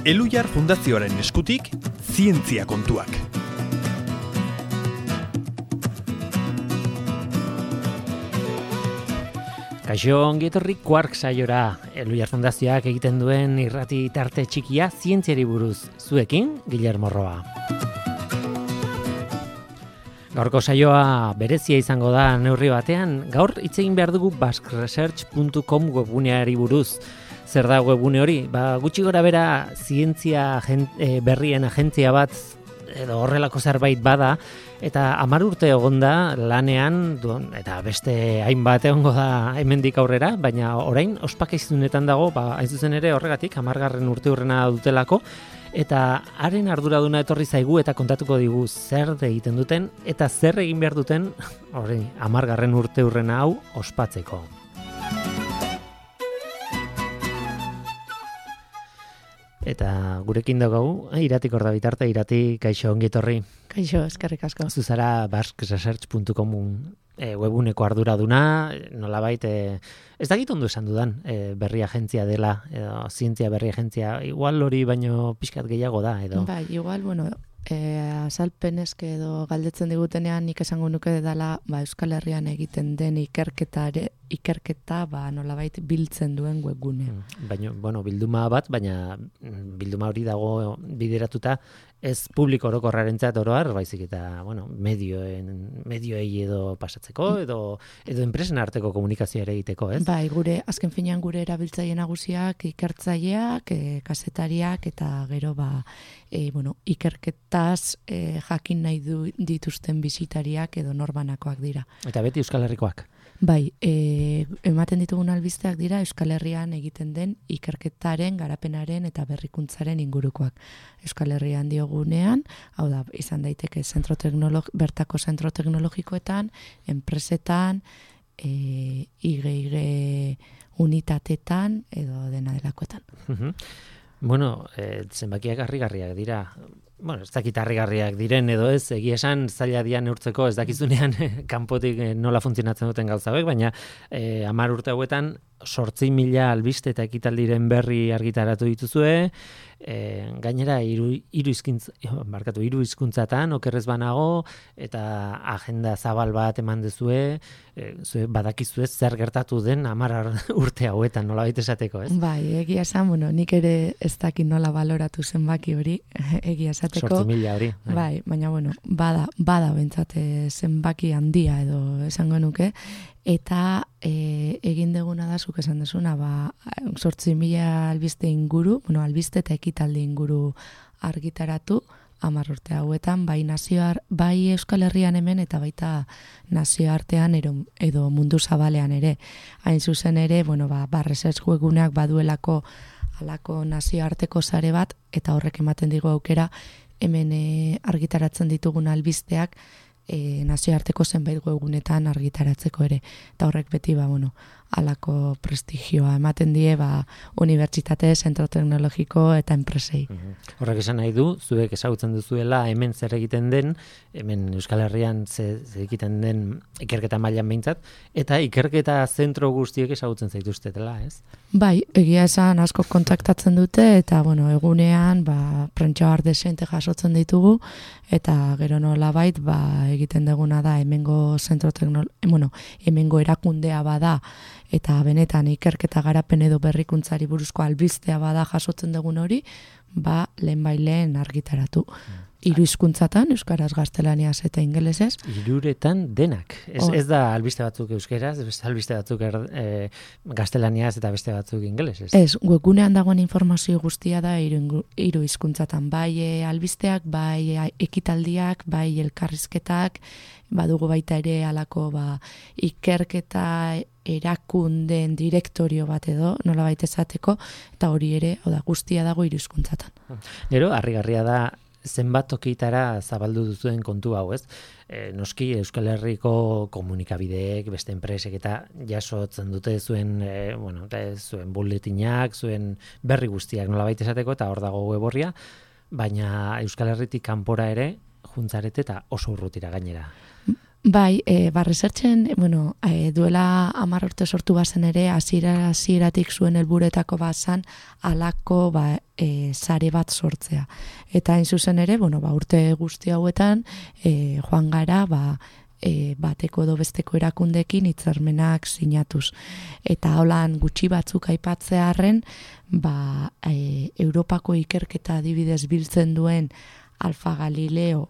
Elhuyar Fundazioaren eskutik, zientzia kontuak. Kaixo, ongi etorri Quark saiora. Elhuyar Fundazioak egiten duen irrati tarte txikia zientziari buruz. Zuekin, Guillermo Roa. Gaurko saioa berezia izango da neurri batean. Gaur hitz egin behar dugu basqueresearch.com webguneari buruz. Zer da webgune hori? Gutxi gora bera zientzia berrien agentzia bat edo horrelako zerbait bada, eta 10 urte egonda lanean, eta beste hainbat egongo da hemendik aurrera, baina orain ospakizunetan dago, hain zuzen ere horregatik 10. urteurrena dutelako, eta haren arduraduna etorri zaigu eta kontatuko digu zer egiten duten, eta zer egin behar duten, 10. urteurrena hau ospatzeko. Eta gurekin daukagu, Iratik hor da bitarte, Irati, kaixo ongi etorri. Kaixo, eskerrik asko. Zuzara basqueresearch.com webguneko arduraduna, nolabait, ez dakit ondo esan dudan, berri agentzia dela, edo zientzia berri agentzia, igual hori baino pixkat gehiago da, edo? Bai, igual, azalpeneske edo galdetzen digutenean nik esango nuke dela Euskal Herrian egiten den ikerketa nolabait biltzen duen webgune. Baina, bilduma bat, baina bilduma hori dago bideratuta ez publiko orokorrarentzat oro har, baizik eta, medioei edo pasatzeko, edo enpresen arteko komunikazioa ere egiteko, ez? Bai, azken finean gure erabiltzaile nagusiak, ikertzaileak, kazetariak, eta gero, ikerketaz jakin nahi dituzten bisitariak edo norbanakoak dira. Eta beti Euskal Herrikoak? Bai, ematen ditugun albisteak dira Euskal Herrian egiten den ikerketaren, garapenaren eta berrikuntzaren ingurukoak. Euskal Herrian diogunean, hau da, izan daiteke bertako zentro teknologikoetan, enpresetan, IG unitatetan edo dena delakoetan. Zenbakiak harrigarriak dira. Ez dakit harrigarriak diren edo ez, egia esan zaila dian neurtzeko ez dakizunean kanpotik nola funtzionatzen duten gauza hauek, baina 10 urte hauetan 8.000 albiste eta ekitaldiren berri argitaratu dituzue, gainera hiru hizkuntzatan okerrez banago, eta agenda zabal bat eman dezue, badakizue zer gertatu den 10 urte hauetan, nolabait esateko, ez? Bai, egia esan, nik ere ez dakit nola baloratu zenbaki hori, egia esateko. 8.000 hori. Bai, baina bada bentsat zenbaki handia edo esango nuke, eta egin deguna da, zuk esan desuna, 8.000 albiste inguru, albiste eta ekitaldi inguru argitaratu, 10 urte hauetan, bai Euskal Herrian hemen eta baita nazioartean edo mundu zabalean ere. Hain zuzen ere, research webguneak baduelako halako nazioarteko sare bat, eta horrek ematen digu aukera, hemen argitaratzen ditugun albisteak, nazioarteko zenbait webgunetan argitaratzeko ere. Eta horrek beti, halako prestigioa ematen die, unibertsitate, zentro teknologiko eta enpresei. Horrek esan nahi du, zuek ezagutzen duzuela hemen zer egiten den, hemen Euskal Herrian zer egiten den ikerketa mailan behintzat, eta ikerketa zentro guztiek ezagutzen zaituztetela, ez? Bai, egia esan asko kontaktatzen dute, eta egunean prentsa desente jasotzen ditugu, eta gero nolabait egiten duguna da hemengo hemengo erakundea bada, eta benetan ikerketa garapen edo berrikuntzari buruzko albistea bada jasotzen dugun hori, lehen argitaratu. 3 hizkuntzatan, euskaraz, gaztelaniaz eta ingelesez. 3 denak. Ez da albiste batzuk euskeraz, beste albiste batzuk gaztelaniaz eta beste batzuk ingelesez. Ez, webgunean dagoen informazio guztia da 3 hizkuntzatan. Bai albisteak, bai ekitaldiak, bai elkarrizketak, badugu baita ere halako ikerketa erakundeen direktorio bat edo, nolabait esateko, eta hori ere, guztia dago 3 hizkuntzatan. Gero, harrigarria da, zenbat tokitara zabaldu duzuen kontu hau, ez? Noski Euskal Herriko komunikabideek, beste enpresek eta jasotzen dute zuen buletinak, zuen berri guztiak nolabait esateko, eta hor dago web orria, baina Euskal Herritik kanpora ere juntzarete eta oso urrutira gainera. Bai, researchen, duela 10 urte sortu bazen ere, hasieratik zuen helburuetako bazan halako sare bat sortzea. Eta hain zuzen ere, urte guzti hauetan joan gara bateko edo besteko erakundekin hitzarmenak sinatuz. Eta holan gutxi batzuk aipatzearren, Europako ikerketa adibidez biltzen duen Alfa Galileo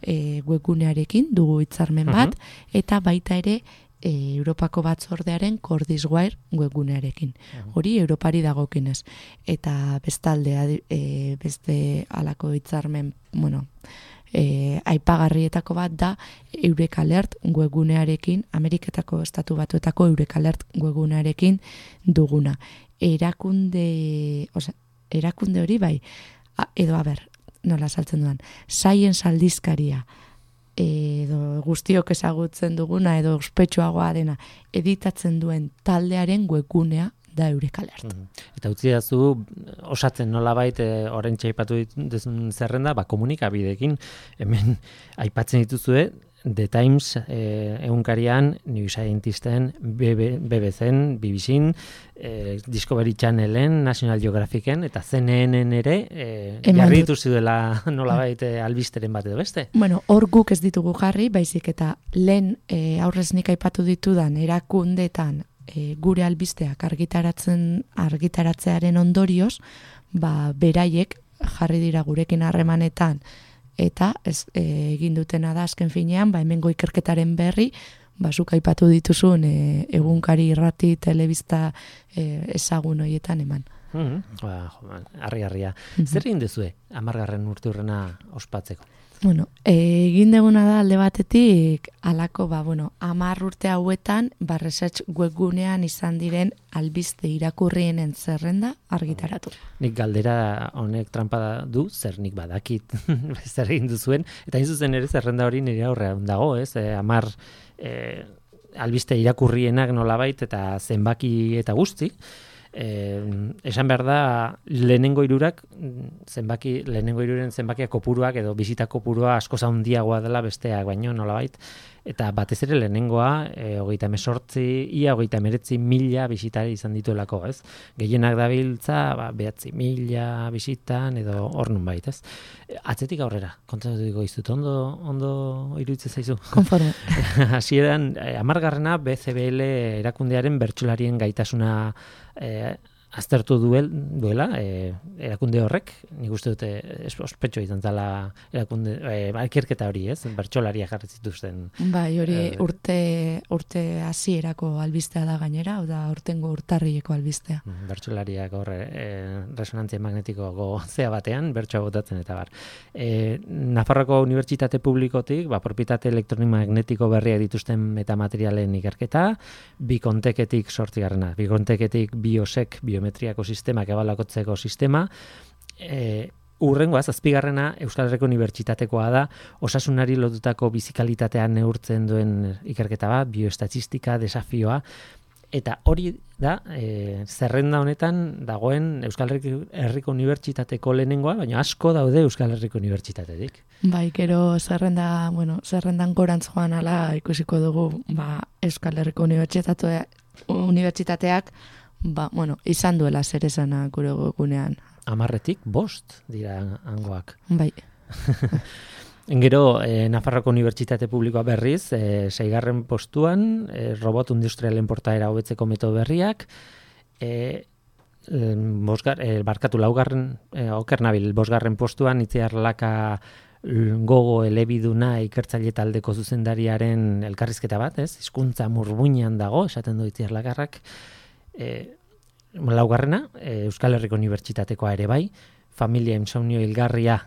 webgunearekin dugu hitzarmen bat, eta baita ere Europako batzordearen Cordiswire webgunearekin. Hori Europari dagokinez. Eta bestaldea beste halako hitzarmen, aipagarrietako bat da Eureka Alert webgunearekin, Ameriketako Estatu Batuetako Eureka Alert webgunearekin duguna. Erakunde hori bai, nola saltzen dudan, Science aldizkaria, edo guztiok ezagutzen duguna, edo ospetsuagoa dena, editatzen duen taldearen webgunea da Eureka Alert. Eta utzi dazu, osatzen nolabait, oraintxe aipatu duzun zerrenda, komunikabideekin, hemen aipatzen dituzue, The Times egunkarian, New Scientisten, BBCen, BBCen, Discovery Channelen, National Geographicen, eta CNN-en ere, jarri dituzu dela nolabait albisteren bat edo beste? Hor guk ez ditugu jarri, baizik eta lehen aurrez nik aipatu ditudan erakundetan gure albisteak argitaratzearen ondorioz, beraiek jarri dira gurekin harremanetan, eta egin dutena da azken finean, hemengo ikerketaren berri, zuk aipatu dituzun egunkari, irrati, telebista ezagun horietan eman. Harria. Zer egin duzue 10. urteurrena ospatzeko? Egin duguna da alde batetik alako, 10 urte hauetan, research webgunean izan diren albiste irakurrienen zerrenda argitaratu. Nik galdera honek trampa du, zer nik badakit zer egin duzuen, eta hain zuzen ere zerrenda hori nire aurrean dago, 10 albiste irakurrienak nolabait eta zenbaki eta guzti. Esan behar da lehenengo hiruren zenbakia kopuruak edo bisita kopurua asko handiagoa dela besteak baino nolabait, eta batez ere lehenengoa 39,000 bisitari izan dituelako, ez? Gehienak dabiltza 9,000 bisitan edo hor nonbait, ez? Atzetik aurrera, kontatuko dizut, ondo iruditzen zaizu? Konforme. Hasieran 10. BCBL erakundearen bertsolarien gaitasuna aztertu duela erakunde horrek, nik uste dute ospetxo izan zala erakunde ikerketa hori, ez? Bertsolaria jarri zituzten. Hori urte hasierako albistea da gainera, da urtengo urtarrileko albistea. Bertsolariak hor resonantzia magnetiko zea batean bertsoa botatzen eta bar. Nafarroako Unibertsitate Publikotik, propietate elektromagnetiko berriak dituzten metamaterialen ikerketa, Bikonteketik 8. Bikonteketik biosek, biometriako sistemak ebalakotzeko sistema, urrengoa, 7. Euskal Herriko Unibertsitatekoa da, osasunari lotutako bizikalitatea neurtzen duen ikerketa bat, bioestatistika, desafioa, eta hori da, zerrenda honetan dagoen Euskal Herriko Unibertsitateko lehenengoa, baina asko daude Euskal Herriko Unibertsitatetik. Gero zerrendan gorantz joan ala ikusiko dugu, Euskal Herriko Unibertsitateak izan duela zer esana gure gunean. 10 dira hangoak. Bai. Gero, Nafarroko Unibertsitate Publikoa berriz, 6. postuan, robot industrialen portaera hobetzeko metodo berriak, oker nabil, 5. postuan, Itziar Laka gogo elebiduna ikertzaile taldeko zuzendariaren elkarrizketa bat, ez? Hizkuntza murmuinean dago, esaten du Itziar Lakarrak. 4. Euskal Herriko Unibertsitatekoa ere bai, familia insomnio hilgarria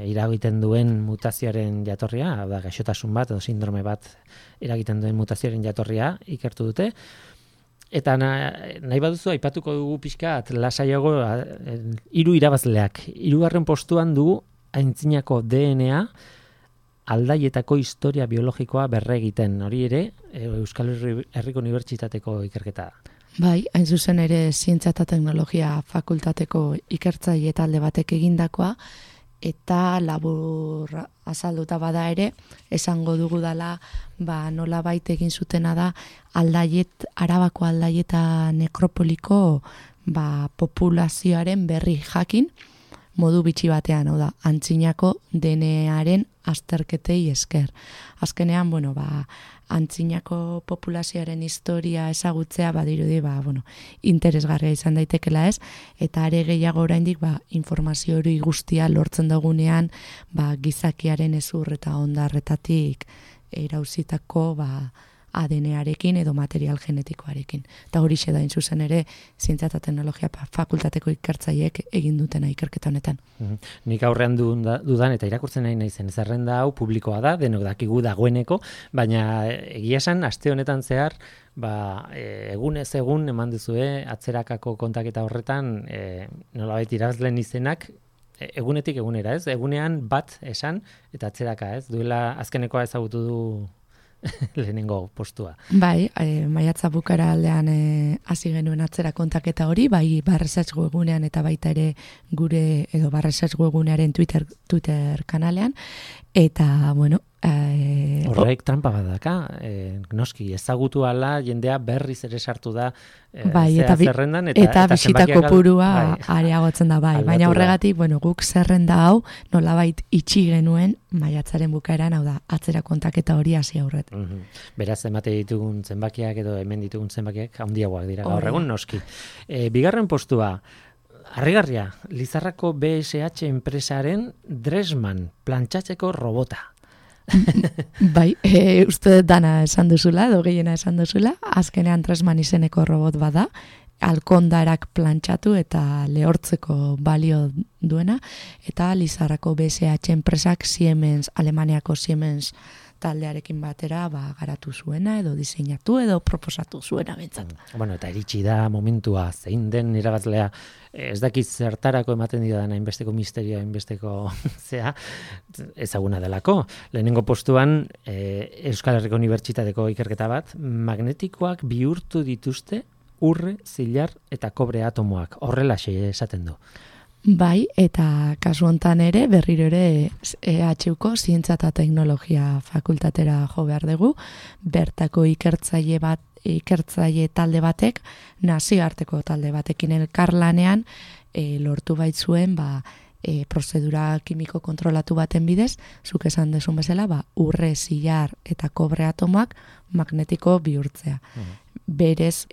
iragiten duen mutazioaren jatorria, da gaixotasun bat edo sindrome bat eragiten duen mutazioaren jatorria ikertu dute. Eta nahi baduzu aipatuko dugu pixkat lasaiago 3 irabazleak. 3. postuan dugu aintzinako DNA aldaietako historia biologikoa berregiten. Hori ere Euskal Herriko Unibertsitateko ikerketa da. Bai, hain zuzen ere zientzia eta teknologia fakultateko ikertzaile talde batek egindakoa, eta labur azalduta bada ere, esango dugu dela, nolabait egin zutena da, Arabako Aldaieta nekropoliko populazioaren berri jakin, modu bitxi batean, hau da, antzinako DNA-aren azterketei esker. Azkenean, antzinako populazioaren historia ezagutzea badirudi, interesgarria izan daitekela ez, eta are gehiago oraindik informazio hori guztia lortzen dugunean, gizakiaren ezur eta ondarretatik erauzitako ADN-arekin edo material genetikoarekin. Eta hori da zuzen ere, zientzia eta teknologia fakultateko ikertzaileek egin dutena ikerketa honetan. Nik aurrean dudan eta irakurtzen nahi naizen zerrenda hau publikoa da, denok dakigu dagoeneko, baina egia esan, aste honetan zehar, egunez egun eman duzue atzerakako kontaketa horretan, nolabait irabazleen izenak, egunetik egunera, ez? Egunean bat esan eta atzeraka, ez? Duela azkenekoa ezagutu du lehenengo postua. Bai, maiatza bukara aldean hasi genuen atzera kontaketa hori, bai Barresearch webunean eta baita ere gure edo Barresearch webunearen Twitter kanalean, eta horrek trampa bat daka, noski ezagutu ala jendea berriz ere sartu da zerrendan eta bisita kopurua areagotzen da bai, baina horregatik guk zerrenda hau nolabait itxi genuen maiatzaren bukaeran, hau da atzera kontaketa hori hasi aurret. Beraz emate ditugun zenbakiak edo hemen ditugun zenbakiak handiagoak dira gaur egun noski. Bigarren postua, harrigarria, Lizarrako BSH enpresaren Dressman plantxatzeko robota. Bai, uste dana esan duzula, edo gehiena esan duzula, azkenean Dressman izeneko robot bada, alkondarak plantxatu eta lehortzeko balio duena, eta Lizarrako BSH enpresak Siemens, Alemaniako Siemens taldearekin batera garatu zuena edo diseinatu edo proposatu zuena bentsat. Eta iritsi da momentua zein den irabazlea, ez dakiz zertarako ematen dira dana inbesteko misterioa, inbesteko ezaguna delako. Lehenengo postuan Euskal Herriko Unibertsitateko ikerketa bat, magnetikoak bihurtu dituzte urre, zilar eta kobre atomoak. Horrelaxe esaten du. Bai, eta kasu hontan ere, berriro ere EHUko Zientzia eta Teknologia fakultatera jo behar dugu, bertako ikertzaile talde batek, nazioarteko talde batekin elkarlanean, lortu baitzuen, prozedura kimiko kontrolatu baten bidez, zuk esan dezun bezala, urre, zilar eta kobre atomoak magnetiko bihurtzea. Berez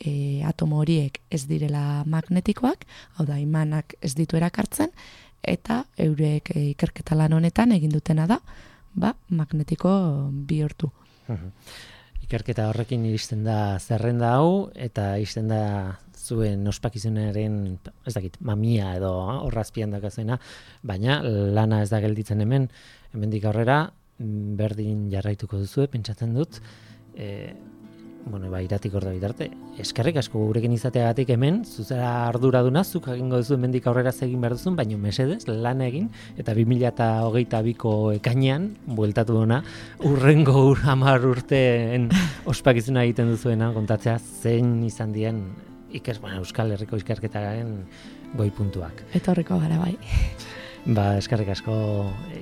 atomo horiek ez direla magnetikoak, hau da imanak ez ditu erakartzen, eta eurek ikerketa lan honetan egin dutena da, magnetiko bihurtu. Ikerketa horrekin iristen da zerrenda hau, eta iristen da zuen ospakizunaren, ez dakit, mamia edo horrazpian dakazuena, baina lana ez da gelditzen hemendik aurrera, berdin jarraituko duzue, pentsatzen dut, iratik hor da bitarte. Eskerrik asko gurekin izateagatik hemen, zuzera arduraduna, zuk egingo duzu hemendik aurrera egin behar duzun, baina mesedez, lan egin, eta 2022ko ekainean, bueltatu duna, urrengo 10 urteen ospakizuna egiten duzuena, kontatzea zein izan dien Euskal Herriko ikerketaren goi puntuak. Etorriko gara bai. Eskerrik asko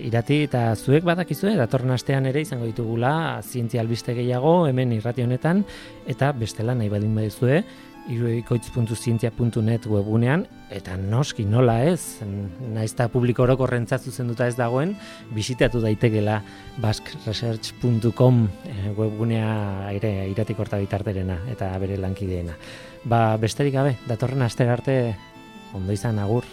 Irati, eta zuek badakizue, datorren astean ere izango ditugula zientzia albiste gehiago hemen irrati honetan, eta bestela nahi baldin badizue, irudikoitz.zientzia.net webunean, eta noski nola ez, naizta publiko orokorrentzat zuzenduta ez dagoen, bisitatu daitekela basqueresearch.com webgunea ere Iratik horta bitarterena eta bere lankideena. Besterik gabe, datorren astera arte ondo izan, agur.